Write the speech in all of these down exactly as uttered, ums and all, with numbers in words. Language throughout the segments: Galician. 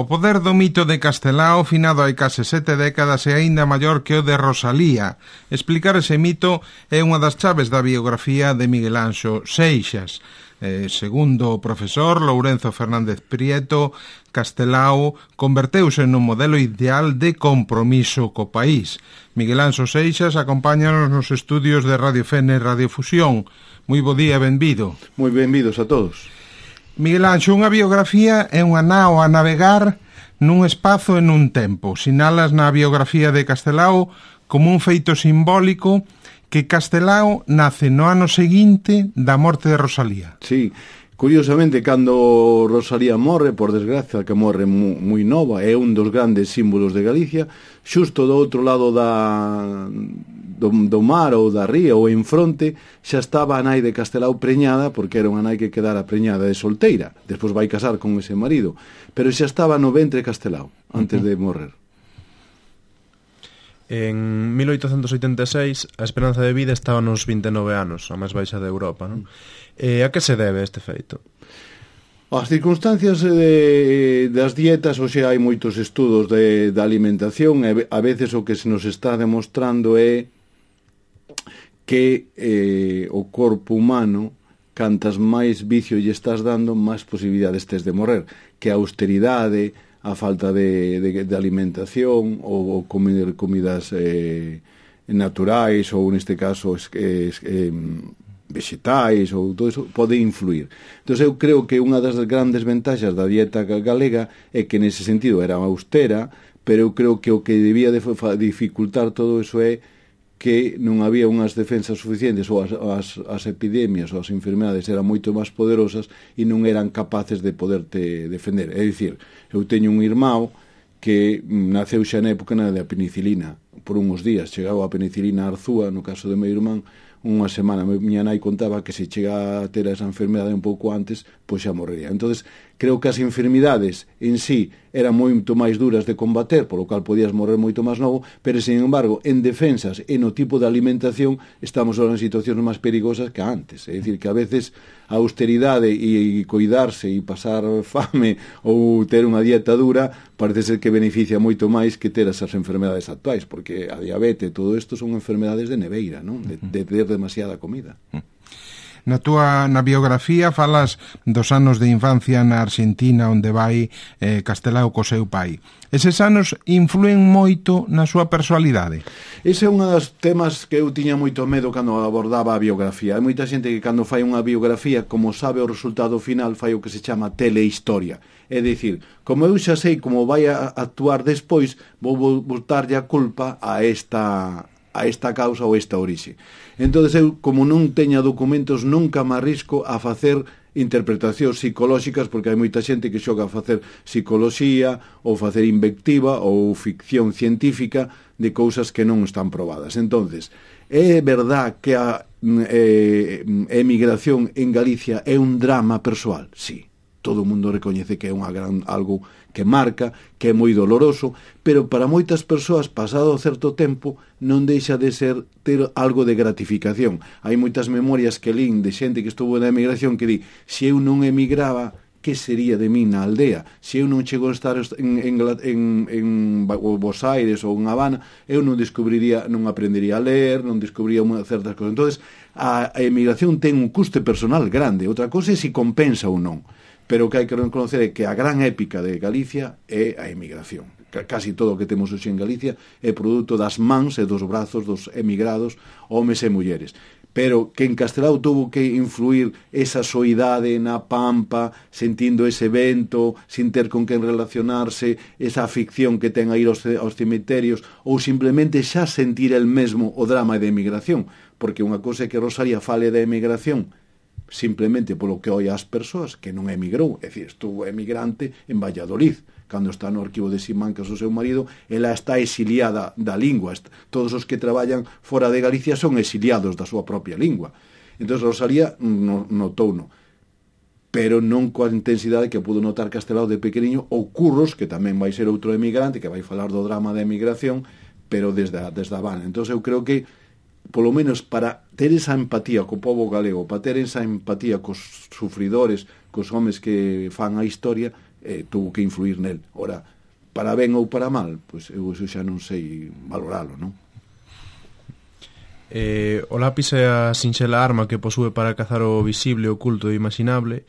O poder do mito de Castelao, finado hai case sete décadas, é aínda maior que o de Rosalía. Explicar ese mito é unha das chaves da biografía de Miguel Anxo Seixas. Eh, segundo o profesor Lourenzo Fernández Prieto, Castelao converteuse nun modelo ideal de compromiso co país. Miguel Anxo Seixas acompáñanos nos estudios de Radio Fene e Radio Fusión. Moi bo día, benvido. Moi benvidos a todos. Miguel Anxo, unha biografía é unha nao a navegar nun espazo e nun tempo. Sinalas na biografía de Castelao como un feito simbólico que Castelao nace no ano seguinte da morte de Rosalía. Sí, curiosamente, cando Rosalía morre, por desgracia, que morre moi nova, é un dos grandes símbolos de Galicia, xusto do outro lado da... Do, do mar ou da ría ou en fronte xa estaba a nai de Castelao preñada, porque era unha nai que quedara preñada de solteira, despois vai casar con ese marido, pero xa estaba no ventre Castelao antes uh-huh. de morrer. En mil oitocentos oitenta e seis a esperanza de vida estaba nos vinte e nove anos, a máis baixa de Europa, non? E a que se debe este feito? As circunstancias de, das dietas, hoxe hai moitos estudos de, de alimentación, e a veces o que se nos está demostrando é que eh, o corpo humano, cantas máis vicio lle estás dando, máis posibilidades tes de morrer, que a austeridade, a falta de, de, de alimentación ou, ou comer comidas eh, naturais ou neste caso es, es, eh, vegetais ou todo iso pode influir. Entón eu creo que unha das grandes ventaxas da dieta galega é que nese sentido era austera, pero eu creo que o que debía de dificultar todo iso é que non había unhas defensas suficientes ou as, as, as epidemias ou as enfermedades eran moito máis poderosas e non eran capaces de poderte defender. É dicir, eu teño un irmão que naceu xa na época da penicilina. Por uns días chegaba a penicilina a Arzúa, no caso de meu irmán, unha semana. Miña nai contaba que se chega a ter esa enfermedade un pouco antes, pois xa morrería. Entonces, creo que as enfermidades en sí eran moito máis duras de combater, polo cual podías morrer moito máis novo, pero, sin embargo, en defensas e no tipo de alimentación estamos ahora en situacións máis perigosas que antes. É dicir, que a veces a austeridade e coidarse e pasar fame ou ter unha dieta dura parece ser que beneficia moito máis que ter esas enfermedades actuais, porque a diabetes e todo isto son enfermedades de neveira, non? De, de ter demasiada comida. Na túa na biografía falas dos anos de infancia na Argentina onde vai eh, Castelao co seu pai. Eses anos influen moito na súa personalidade? Ese é un dos temas que eu tiña moito medo cando abordaba a biografía. Hai moita xente que cando fai unha biografía, como sabe o resultado final, fai o que se chama telehistoria. É dicir, como eu xa sei como vai a actuar despois, vou botarlle a culpa a esta... a esta causa ou esta orixe. Entón, eu, como non teña documentos, nunca me arrisco a facer interpretacións psicolóxicas, porque hai moita xente que xoga a facer psicoloxía ou facer invectiva ou ficción científica de cousas que non están probadas. Entonces, é verdad que a eh, emigración en Galicia é un drama persoal? Sí. Todo o mundo recoñece que é unha gran, algo que marca, que é moi doloroso, pero para moitas persoas, pasado certo tempo, non deixa de ser ter algo de gratificación. Hai moitas memorias que lín de xente que estuvo na emigración que di, se eu non emigraba, que sería de min na aldea? Se eu non chego a estar en, en, en, en Buenos Aires ou en Habana, eu non descubriría, non aprendería a ler, non descubriría certas cosas. Entonces, a, a emigración ten un custe personal grande. Outra cosa é se compensa ou non. Pero o que hai que reconocer é que a gran épica de Galicia é a emigración. Casi todo o que temos hoxe en Galicia é produto das mans e dos brazos dos emigrados, homes e mulleres. Pero que en Castelao tuvo que influir esa soidade na pampa, sentindo ese vento, sin ter con quen relacionarse, esa afición que ten a ir aos, aos cemiterios, ou simplemente xa sentir el mesmo o drama de emigración. Porque unha cousa é que Rosalía fale da emigración simplemente polo que oi as persoas, que non emigrou, é dicir, estuvo emigrante en Valladolid, cando está no arquivo de Simancas o seu marido, ela está exiliada da lingua. Todos os que traballan fora de Galicia son exiliados da súa propia lingua. Entón Rosalía no, notouno, pero non coa intensidade que pudo notar Castelao de pequeniño, ou Curros, que tamén vai ser outro emigrante, que vai falar do drama da emigración, pero desde a, desde a Habana. Entón eu creo que polo menos para ter esa empatía co povo galego, para ter esa empatía cos sufridores, cos homes que fan a historia, eh, tuvo que influir nel. Ora, para ben ou para mal, pois eu eso xa non sei valoralo, non? Eh, o lápis é a sinxela arma que posúe para cazar o visible, oculto e imaginable,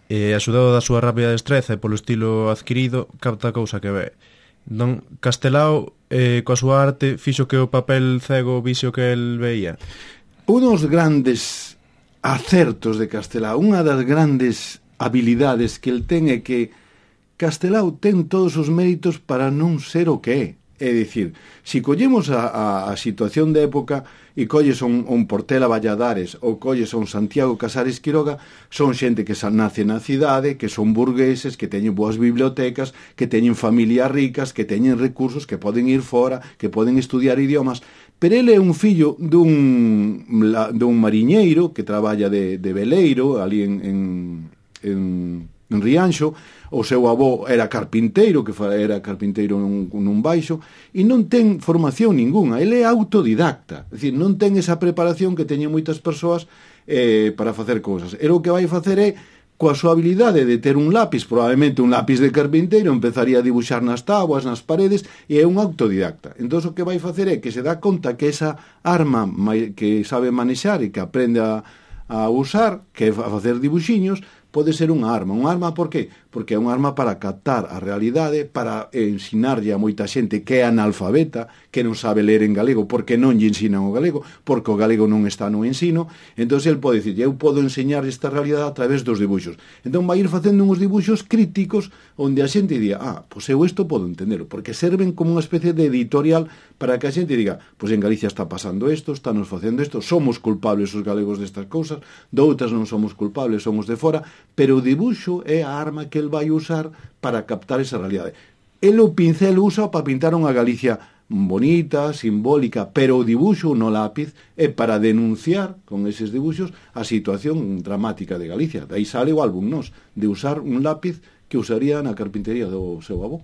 e axudado da súa rápida destreza e polo estilo adquirido, capta a cousa que ve. Don Castelao, eh, coa súa arte, fixo que o papel cego vise o que el veía. Unos grandes acertos de Castelao, unha das grandes habilidades que el ten é que Castelao ten todos os méritos para non ser o que é. É dicir, se collemos a, a, a situación de época e colles un, un Portela Valladares ou colles un Santiago Casares Quiroga, son xente que nace na cidade, que son burgueses, que teñen boas bibliotecas, que teñen familias ricas, que teñen recursos, que poden ir fora, que poden estudiar idiomas, pero ele é un fillo dun, dun mariñeiro que traballa de, de veleiro ali en, en, en, en Rianxo. O seu avó era carpinteiro, que era carpinteiro nun, nun baixo, e non ten formación ninguna, ele é autodidacta, é dicir, non ten esa preparación que teñen moitas persoas eh, para facer cousas. Ele o que vai facer é, coa súa habilidade de ter un lápis, probablemente un lápis de carpinteiro, empezaría a dibuixar nas táboas, nas paredes, e é un autodidacta. Entón, o que vai facer é que se dá conta que esa arma que sabe manexar e que aprende a, a usar, que é a facer dibuxiños, pode ser unha arma. Unha arma por qué? Porque é unha arma para captar a realidade, para ensinarlle a moita xente que é analfabeta, que non sabe ler en galego, porque non lle ensinan o galego, porque o galego non está no ensino. Entón, el pode dicir, eu podo enseñar esta realidade a través dos dibuixos. Entón, vai ir facendo uns dibuixos críticos onde a xente diga, ah, pois eu isto podo entender, porque serven como unha especie de editorial para que a xente diga, pois en Galicia está pasando isto, estános facendo isto, somos culpables os galegos destas cousas, doutras non somos culpables, somos de fora, pero o dibuixo é a arma que el vai usar para captar esa realidade. El o pincel usa para pintar unha Galicia bonita, simbólica, pero o dibuixo no lápiz é para denunciar con eses dibuixos a situación dramática de Galicia. De aí sale o álbum Nos, de usar un lápiz que usaría na carpintería do seu avó.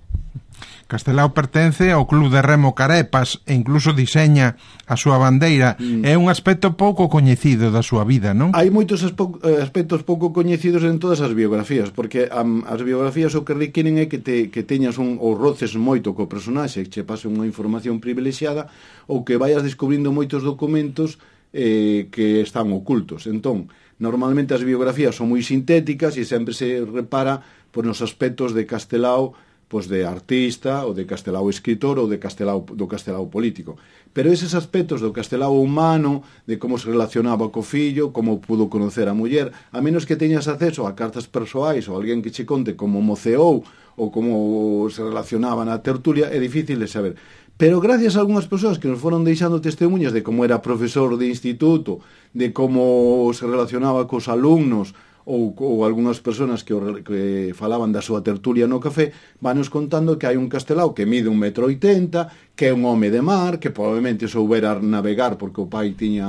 Castelao pertence ao Club de Remo Carepas e incluso diseña a súa bandeira. Mm. É un aspecto pouco coñecido da súa vida, non? Hai moitos aspectos pouco coñecidos en todas as biografías, porque um, as biografías o que requieren é que, te, que teñas un, ou roces moito co personaxe, que che pase unha información privilexiada, ou que vayas descubrindo moitos documentos eh, que están ocultos. Entón, normalmente as biografías son moi sintéticas e sempre se repara pois, nos aspectos de Castelao, pois de artista, ou de Castelao escritor, ou de Castelao, do Castelao político. Pero eses aspectos do Castelao humano, de como se relacionaba co fillo, como pudo conocer a muller, a menos que teñas acceso a cartas persoais ou alguén que che conte como moceou ou como se relacionaba na tertulia, é difícil de saber. Pero gracias a algunhas persoas que nos foron deixando testemunhas de como era profesor de instituto, de como se relacionaba cos alumnos, ou, ou algunhas persoas que, que falaban da súa tertulia no café, vanos contando que hai un Castelao que mide un metro oitenta, que é un home de mar, que probablemente soubera navegar porque o pai tiña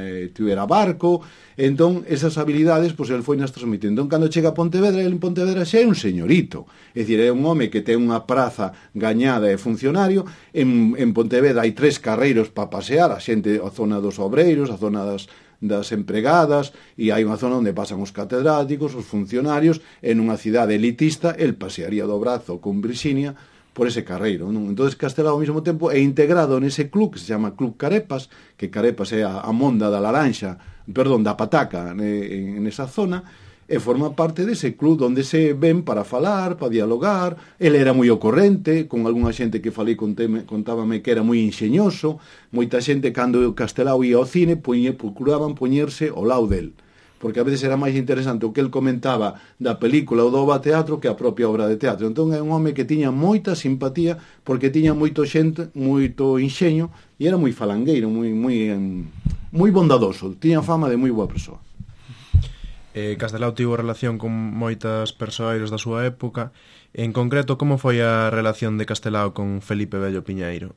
eh, tivera barco. Entón, esas habilidades, pois, el foi nas transmitindo. Entón, cando chega a Pontevedra, el en Pontevedra xa é un señorito. É dicir, é un home que ten unha praza gañada e funcionario. En, en Pontevedra hai tres carreiros para pasear, a xente, a zona dos obreiros, a zona das das empregadas, e hai unha zona onde pasan os catedráticos, os funcionarios, en unha cidade elitista, el pasearía do brazo con Virxinia por ese carreiro, non? Entón, Castelao ao mesmo tempo é integrado nese club que se chama Club Carepas, que Carepas é a, a monda da laranxa, perdón, da pataca en, en esa zona, e forma parte dese club onde se ven para falar, para dialogar. Ele era moi ocorrente, con algunha xente que falei conteme, contábame que era moi enxeñoso. Moita xente, cando o Castelao ia ao cine, poñe, procuraban poñerse ao lado del, porque a veces era máis interesante o que el comentaba da película ou do obra teatro que a propia obra de teatro. Entón é un home que tiña moita simpatía, porque tiña moito xente, moito enxeño, e era moi falangueiro, moi, moi, moi bondadoso, tiña fama de moi boa persoa. Eh, Castelao tivo relación con moitas persoeiros da súa época. En concreto, como foi a relación de Castelao con Felipe Bello Piñeiro?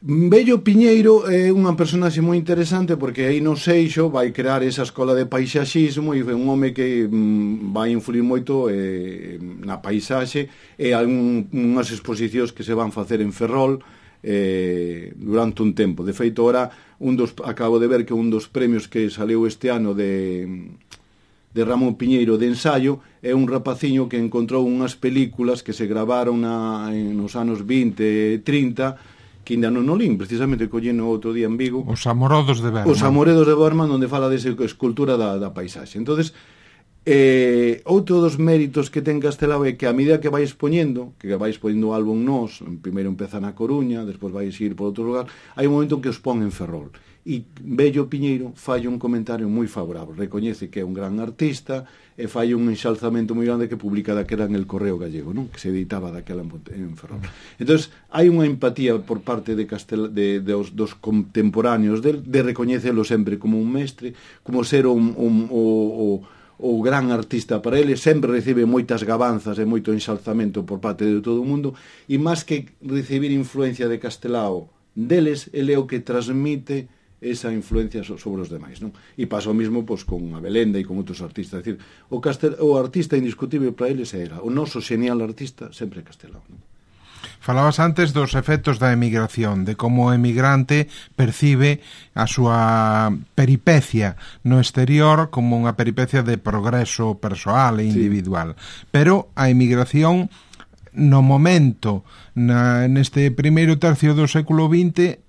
Bello Piñeiro é unha personaxe moi interesante, porque aí no Seixo vai crear esa escola de paisaxismo e é un home que mm, vai influir moito eh, na paisaxe, e algunhas exposicións que se van facer en Ferrol eh, durante un tempo. De feito, ora un dos, acabo de ver que un dos premios que saleu este ano de de Ramón Piñeiro de ensaio, é un rapaciño que encontrou unhas películas que se gravaron na, en, nos anos vinte e trinta, que ainda non o lín, precisamente colleno outro día en Vigo. Os Amorodos de Berman. Os Amoredos de Berman, onde fala desa escultura da, da paisaxe. Entonces, eh, outro dos méritos que ten Castelao é que a medida que vai expoñendo, que vai expoñendo o álbum Nós, primeiro empeza na Coruña, despois vai ir por outro lugar, hai un momento que os pon en Ferrol. E Bello Piñeiro fai un comentario moi favorable, recoñece que é un gran artista e fai un enxalzamento moi grande que publica daquela en El Correo Gallego, non? Que se editaba daquela en Ferrol. Entonces hai unha empatía por parte de Castel de, de os, dos contemporáneos de, de recoñecelo sempre como un mestre, como ser un, un, o, o, o gran artista para ele, sempre recibe moitas gabanzas e moito enxalzamento por parte de todo o mundo, e máis que recibir influencia de Castelao deles, ele é o que transmite esa influencia sobre os demais, non? E pasa o mismo pois, con a Belenda e con outros artistas. É dicir, o, Castel... o artista indiscutible para eles era o noso genial artista sempre Castelao, non? Falabas antes dos efectos da emigración, de como o emigrante percibe a súa peripecia no exterior como unha peripecia de progreso persoal e individual. Sí. Pero a emigración no momento, na, neste primeiro tercio do século vinte,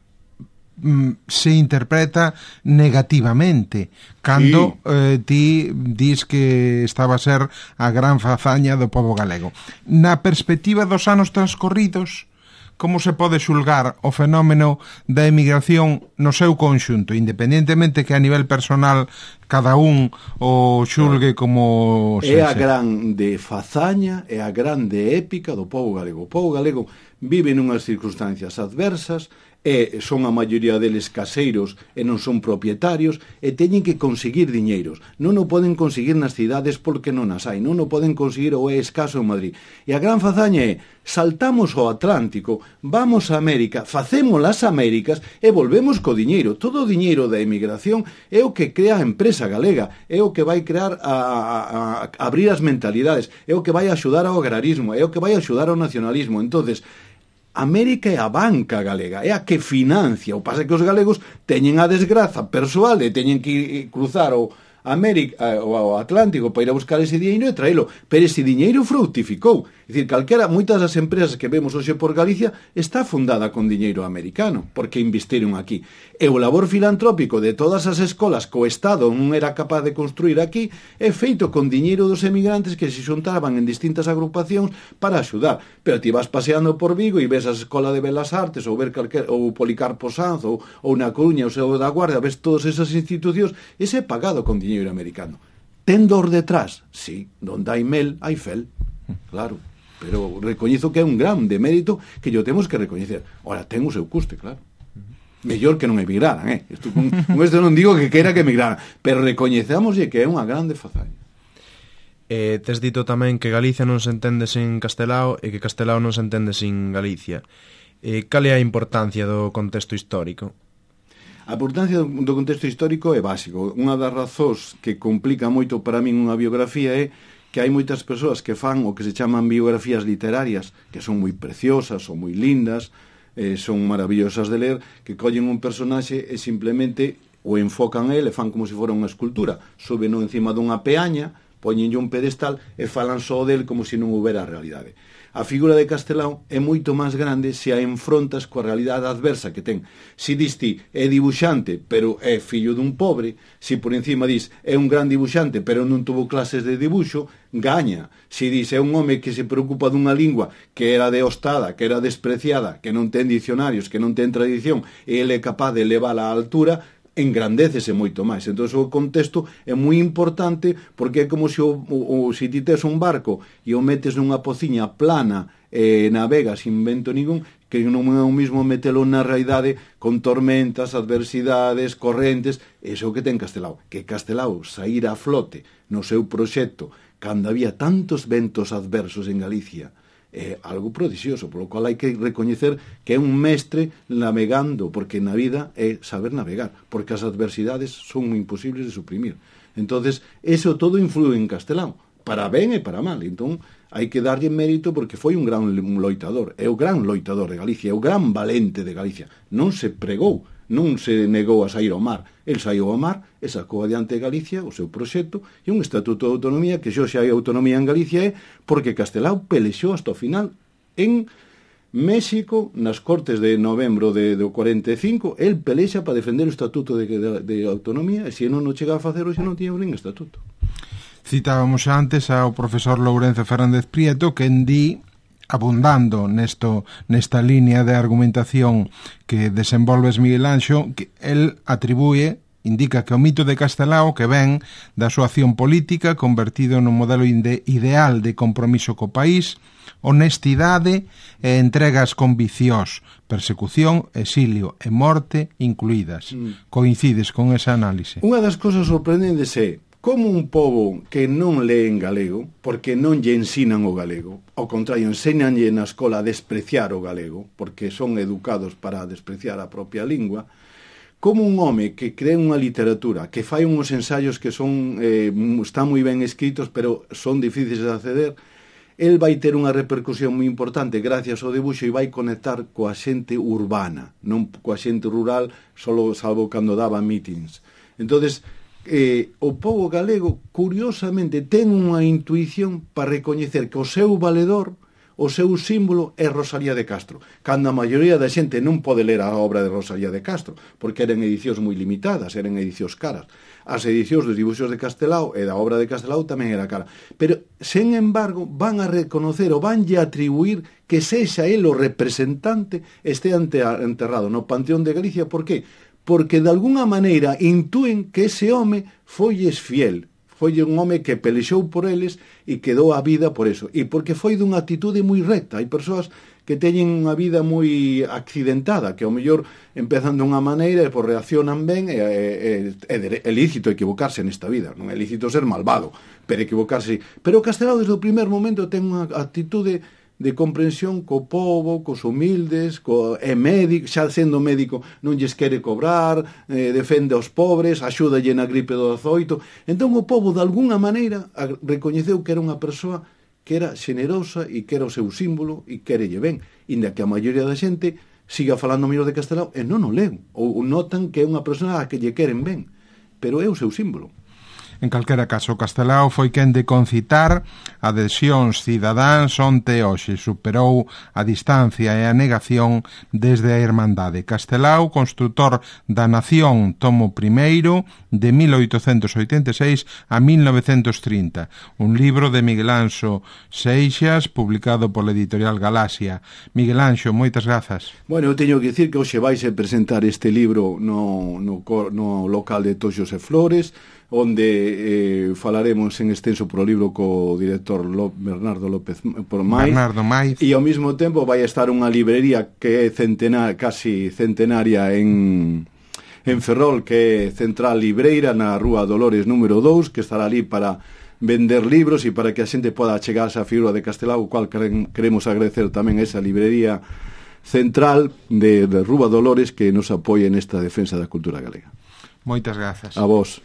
se interpreta negativamente cando sí. eh, ti dis que estaba a ser a gran fazaña do pobo galego. Na perspectiva dos anos transcorridos, como se pode xulgar o fenómeno da emigración no seu conxunto, independentemente que a nivel personal cada un o xulgue como é a grande fazaña, é a grande épica do pobo galego. O pobo galego vive nunhas circunstancias adversas, e son a maioría deles caseiros e non son propietarios e teñen que conseguir diñeiros. Non o poden conseguir nas cidades porque non as hai, non o poden conseguir ou é escaso en Madrid. E a gran fazaña é saltamos ao Atlántico, vamos a América, facemos as Américas e volvemos co diñeiro. Todo o diñeiro da emigración é o que crea a empresa galega, é o que vai crear a, a, a abrir as mentalidades, é o que vai axudar ao agrarismo, é o que vai axudar ao nacionalismo. Entonces, América é a banca galega, é a que financia. O pasa que os galegos teñen a desgraza persoal e teñen que cruzar o América, o Atlántico para ir a buscar ese diñeiro e traelo, pero ese diñeiro fructificou. É dicir, calquera, moitas das empresas que vemos hoxe por Galicia está fundada con diñeiro americano, porque investiron aquí. E o labor filantrópico de todas as escolas que o Estado non era capaz de construir aquí é feito con diñeiro dos emigrantes que se xuntaban en distintas agrupacións para axudar. Pero ti vas paseando por Vigo e ves a Escola de Belas Artes ou ver calquer, ou Policarpo Sanz ou, ou na Coruña ou Seu da Guardia, ves todas esas institucións, ese é pagado con diñeiro americano. Ten dor detrás? Sí, donde hai mel, hai fel, claro. Pero recoñezo que é un gran demérito que yo temos que recoñecer. Ora, ten o seu custe, claro. Mellor que non emigraran, eh? Isto, con, con isto non digo que queira que emigraran, pero recoñecémoslle que é unha grande fazaña. Eh, tes dito tamén que Galicia non se entende sin Castelao e que Castelao non se entende sin Galicia. Eh, cal é a importancia do contexto histórico? A importancia do contexto histórico é básico. Unha das razóns que complica moito para min unha biografía é que hai moitas persoas que fan o que se chaman biografías literarias, que son moi preciosas, son moi lindas, eh, son maravillosas de ler, que collen un personaxe e simplemente o enfocan a ele, fan como se fora unha escultura, suben encima dunha peaña, poñenlle un pedestal e falan só del como se non houbera realidade. A figura de Castelao é moito máis grande se a enfrontas coa realidade adversa que ten. Si dis ti, é dibuixante, pero é fillo dun pobre, si por encima dis, é un gran dibuixante, pero non tuvo clases de dibuixo, gaña. Si dis, é un home que se preocupa dunha lingua que era deostada, que era despreciada, que non ten dicionarios, que non ten tradición, e ele é capaz de levala á altura, engrandécese moito máis. Entón o contexto é moi importante porque é como se o, o, o se ti tes un barco e o metes nunha pociña plana e navega sin vento ningún, que non é o mismo metelo na realidade con tormentas, adversidades, correntes. Iso que ten Castelao, que Castelao saíra a flote no seu proxecto cando había tantos ventos adversos en Galicia é algo prodixioso, polo cual hai que recoñecer que é un mestre navegando, porque na vida é saber navegar, porque as adversidades son imposibles de suprimir. Entonces, eso todo influe en Castelao, para ben e para mal. Entón, hai que darlle mérito porque foi un gran loitador, é o gran loitador de Galicia, é o gran valente de Galicia. Non se pregou non se negou a sair ao mar. El saiu ao mar e sacou adiante Galicia o seu proxecto e un estatuto de autonomía que xo xa hai autonomía en Galicia é porque Castelao pelexou hasta o final en México, nas Cortes de novembro de, do cuarenta e cinco, el pelexa para defender o estatuto de, de, de autonomía e se non o chegaba a facer hoxe non tiña nin estatuto. Citábamos antes ao profesor Lourenzo Fernández Prieto que en di, abundando nesto, nesta línea de argumentación que desenvolves Miguel Anxo, que el atribúe, indica que o mito de Castelao que ven da súa acción política convertido nun modelo ide ideal de compromiso co país, honestidade e entregas con vicios, persecución, exilio e morte incluídas. Mm. Coincides con esa análise? Unha das cosas sorprendentes é como un pobo que non lee en galego, porque non lle ensinan o galego, ao contrario, enséñanlle na escola a despreciar o galego, porque son educados para despreciar a propia lingua, como un home que crea unha literatura, que fai uns ensaios que son eh, están moi ben escritos, pero son difíciles de acceder, el vai ter unha repercusión moi importante gracias ao debuxo e vai conectar coa xente urbana, non coa xente rural, solo salvo cando daba meetings. Entonces, eh, o pobo galego, curiosamente, ten unha intuición para recoñecer que o seu valedor, o seu símbolo é Rosalía de Castro, cando a maioría da xente non pode ler a obra de Rosalía de Castro, porque eran edicións moi limitadas, eran edicións caras. As edicións dos dibuxos de Castelao e da obra de Castelao tamén era cara. Pero, sen embargo, van a reconocer ou vanlle a atribuir que sexa el o representante este enterrado no Panteón de Galicia. Por qué? Porque, de alguna maneira, intúen que ese home folles fiel, foi un home que pelexou por eles e quedou a vida por eso. E porque foi dunha actitude moi recta. Hai persoas que teñen unha vida moi accidentada, que ao mellor empezan dunha maneira e por reaccionan ben, e é, é, é lícito equivocarse nesta vida, non é lícito ser malvado, pero equivocarse. Pero Castelao desde o primer momento ten unha actitude de comprensión co povo, cos humildes, co, é médico, xa sendo médico non lles quere cobrar, eh, defende aos pobres, axúdalle na gripe do dezoito. Entón o povo, de alguna maneira, recoñeceu que era unha persoa que era xenerosa e que era o seu símbolo e querelle ben, inda que a maioría da xente siga falando mellor de Castelao e non o len, ou notan que é unha persoa a que lle queren ben, pero é o seu símbolo. En calquera caso, Castelao foi quen de concitar adhesións cidadáns onte hoxe, superou a distancia e a negación desde a Irmandade. Castelao, construtor da Nación, tomo primeiro, de mil oitocentos oitenta e seis a mil novecentos trinta, un libro de Miguel Anxo Seixas, publicado pola editorial Galaxia. Miguel Anxo, moitas grazas. Bueno, eu teño que dicir que hoxe vais a presentar este libro no, no, no local de Toxos e Flores, onde eh, falaremos en extenso pro libro co director Ló, Bernardo López por Maiz, Bernardo Maiz, e ao mesmo tempo vai estar unha librería que é centenar, casi centenaria en, en Ferrol, que é Central Libreira, na Rúa Dolores número dous, que estará ali para vender libros e para que a xente poda chegarse á figura de Castelao, o cual queremos agradecer tamén a esa librería central de, de Rúa Dolores que nos apoia nesta defensa da cultura galega. Moitas grazas. A vos.